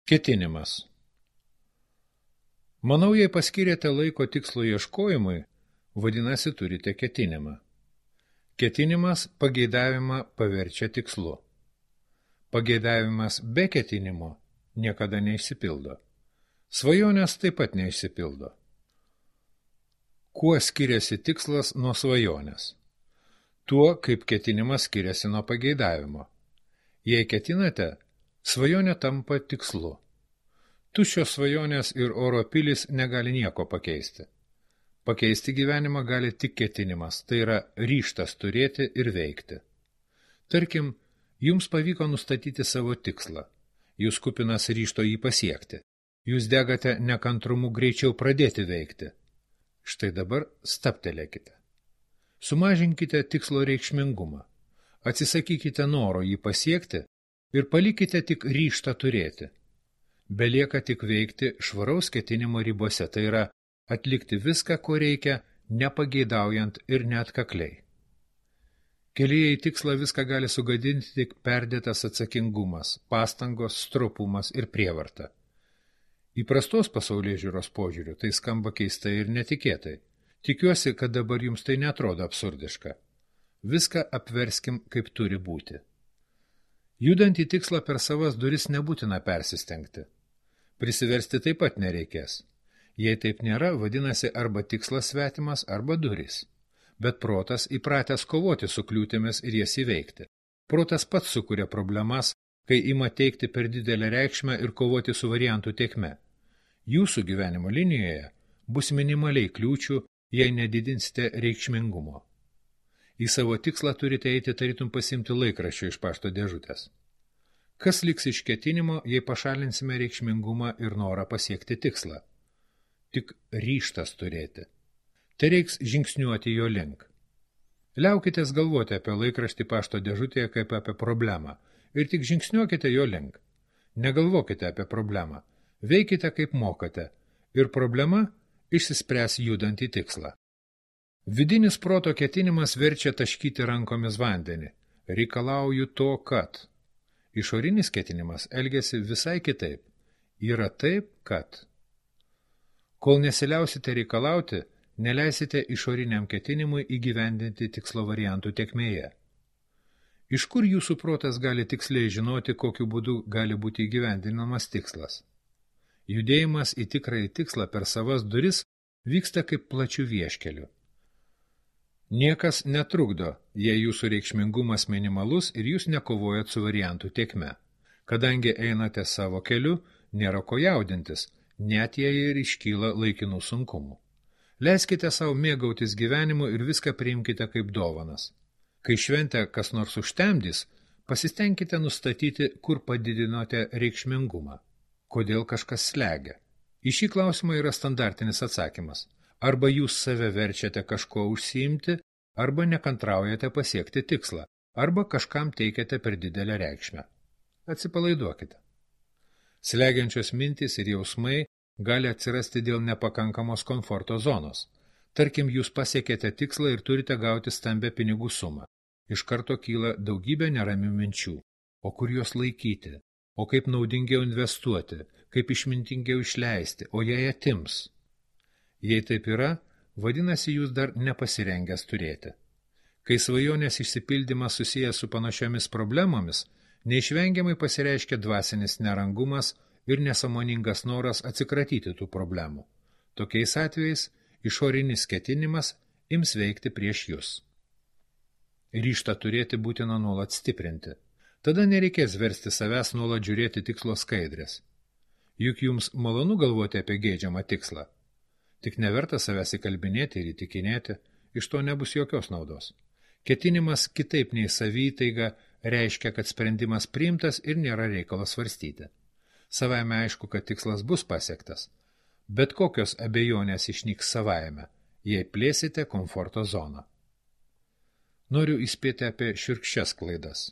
Ketinimas. Manau, jei paskyrėte laiko tikslo ieškojimui, vadinasi turite ketinimą. Ketinimas pageidavimą paverčia tikslu. Pageidavimas be ketinimo niekada neišsipildo. Svajonės taip pat neišsipildo. Kuo skiriasi tikslas nuo svajonės? Tuo, kaip ketinimas skiriasi nuo pageidavimo. Jei ketinate, svajonė tampa tikslu. Tuščios svajonės ir oro pilys negali nieko pakeisti. Pakeisti gyvenimą gali tik ketinimas, tai yra ryžtas turėti ir veikti. Tarkim, jums pavyko nustatyti savo tikslą. Jūs kupinas ryžto jį pasiekti. Jūs degate nekantrumu greičiau pradėti veikti. Štai dabar stabtelėkite. Sumažinkite tikslo reikšmingumą. Atsisakykite noro jį pasiekti ir palikite tik ryžtą turėti. Belieka tik veikti švaraus ketinimo ribose, tai yra atlikti viską, ko reikia, nepageidaujant ir neatkakliai. Kelyje į tikslą viską gali sugadinti tik perdėtas atsakingumas, pastangos, stropumas ir prievarta. Įprastos pasaulėžiūros požiūriu tai skamba keistai ir netikėtai. Tikiuosi, kad dabar jums tai netrodo absurdiška. Viską apverskim, kaip turi būti. Judant į tikslą per savas duris nebūtina persistengti. Prisiversti taip pat nereikės. Jei taip nėra, vadinasi arba tikslas svetimas, arba durys. Bet protas įpratęs kovoti su kliūtimis ir jas įveikti. Protas pats sukuria problemas, kai ima teikti per didelę reikšmę ir kovoti su variantų tėkme. Jūsų gyvenimo linijoje bus minimaliai kliūčių, jei nedidinsite reikšmingumo. Į savo tikslą turite eiti tarytum pasimti laikraščio iš pašto dėžutės. Kas liks iš ketinimo, jei pašalinsime reikšmingumą ir norą pasiekti tikslą? Tik ryžtas turėti. Tai reiks žingsniuoti jo link. Liaukitės galvoti apie laikraštį pašto dėžutėje kaip apie problemą ir tik žingsniuokite jo link. Negalvokite apie problemą. Veikite kaip mokate ir problema išsispręs judant į tikslą. Vidinis proto ketinimas verčia taškyti rankomis vandenį. Reikalauju to, kad. Išorinis ketinimas elgiasi visai kitaip. Yra taip, kad. Kol nesiliausite reikalauti, neleisite išoriniam ketinimui įgyvendinti tikslo variantų tėkmėje. Iš kur jūsų protas gali tiksliai žinoti, kokiu būdu gali būti įgyvendinamas tikslas? Judėjimas į tikrąjį tikslą per savas duris vyksta kaip plačių vieškelių. Niekas netrukdo, jei jūsų reikšmingumas minimalus ir jūs nekovojat su variantų tėkme. Kadangi einate savo keliu, nėra ko jaudintis, net jei ir iškyla laikinų sunkumų. Leiskite savo mėgautis gyvenimu ir viską priimkite kaip dovanas. Kai šventę kas nors užtemdys, pasistengkite nustatyti, kur padidinote reikšmingumą. Kodėl kažkas slegia? Į šį klausimą yra standartinis atsakymas. Arba jūs save verčiate kažko užsiimti, arba nekantraujate pasiekti tikslą, arba kažkam teikiate per didelę reikšmę. Atsipalaiduokite. Slegiančios mintys ir jausmai gali atsirasti dėl nepakankamos komforto zonos. Tarkim, jūs pasiekėte tikslą ir turite gauti stambę pinigų sumą. Iš karto kyla daugybė neramių minčių. O kur juos laikyti? O kaip naudingiau investuoti? Kaip išmintingiau išleisti? O jei atims? Jei taip yra, vadinasi, jūs dar nepasirengęs turėti. Kai svajonės išsipildymas susijęs su panašiomis problemomis, neišvengiamai pasireiškia dvasinis nerangumas ir nesąmoningas noras atsikratyti tų problemų. Tokiais atvejais išorinis ketinimas ims veikti prieš jūs. Ryžtą turėti būtina nuolat stiprinti. Tada nereikės versti savęs nuolat žiūrėti tikslo skaidrės. Juk jums malonu galvoti apie geidžiamą tikslą. Tik neverta savęs įkalbinėti ir įtikinėti, iš to nebus jokios naudos. Ketinimas kitaip nei savytaiga reiškia, kad sprendimas priimtas ir nėra reikalas svarstyti. Savaime aišku, kad tikslas bus pasiektas, bet kokios abejonės išnyks savaime, jei plėsite komforto zoną. Noriu įspėti apie šiurkščias klaidas.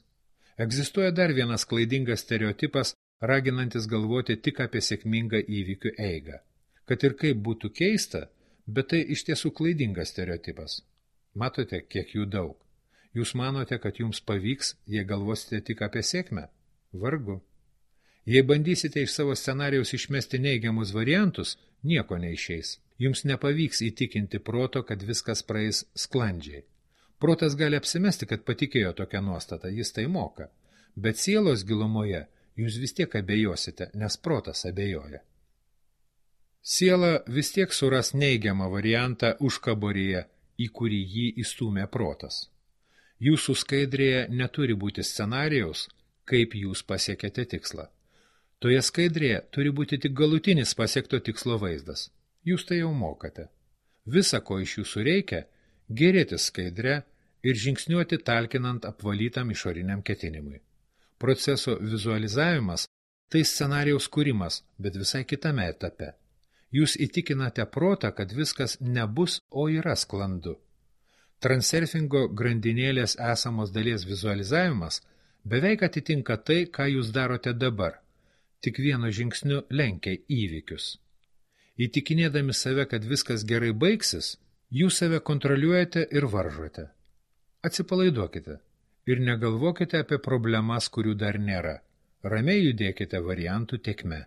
Egzistuoja dar vienas klaidingas stereotipas, raginantis galvoti tik apie sėkmingą įvykių eigą. Kad ir kaip būtų keista, bet tai iš tiesų klaidingas stereotipas. Matote, kiek jų daug. Jūs manote, kad jums pavyks, jei galvosite tik apie sėkmę? Vargu. Jei bandysite iš savo scenarijaus išmesti neigiamus variantus, nieko neišeis. Jums nepavyks įtikinti proto, kad viskas praeis sklandžiai. Protas gali apsimesti, kad patikėjo tokią nuostatą, jis tai moka. Bet sielos gilumoje jūs vis tiek abejosite, nes protas abejoja. Siela vis tiek suras neigiamą variantą užkaboryje, į kurį jį įstūmė protas. Jūsų skaidrėje neturi būti scenarijaus, kaip jūs pasiekėte tikslą. Toje skaidrėje turi būti tik galutinis pasiekto tikslo vaizdas. Jūs tai jau mokate. Visa, ko iš jūsų reikia, gerėtis skaidre ir žingsniuoti talkinant apvalytam išoriniam ketinimui. Proceso vizualizavimas – tai scenarijaus kūrimas, bet visai kitame etape. Jūs įtikinate protą, kad viskas nebus, o yra sklandu. Transurfingo grandinėlės esamos dalies vizualizavimas beveik atitinka tai, ką jūs darote dabar, tik vienu žingsniu lenkia įvykius. Įtikinėdami save, kad viskas gerai baigsis, jūs save kontroliuojate ir varžote. Atsipalaiduokite ir negalvokite apie problemas, kurių dar nėra. Ramiai judėkite variantų tėkme.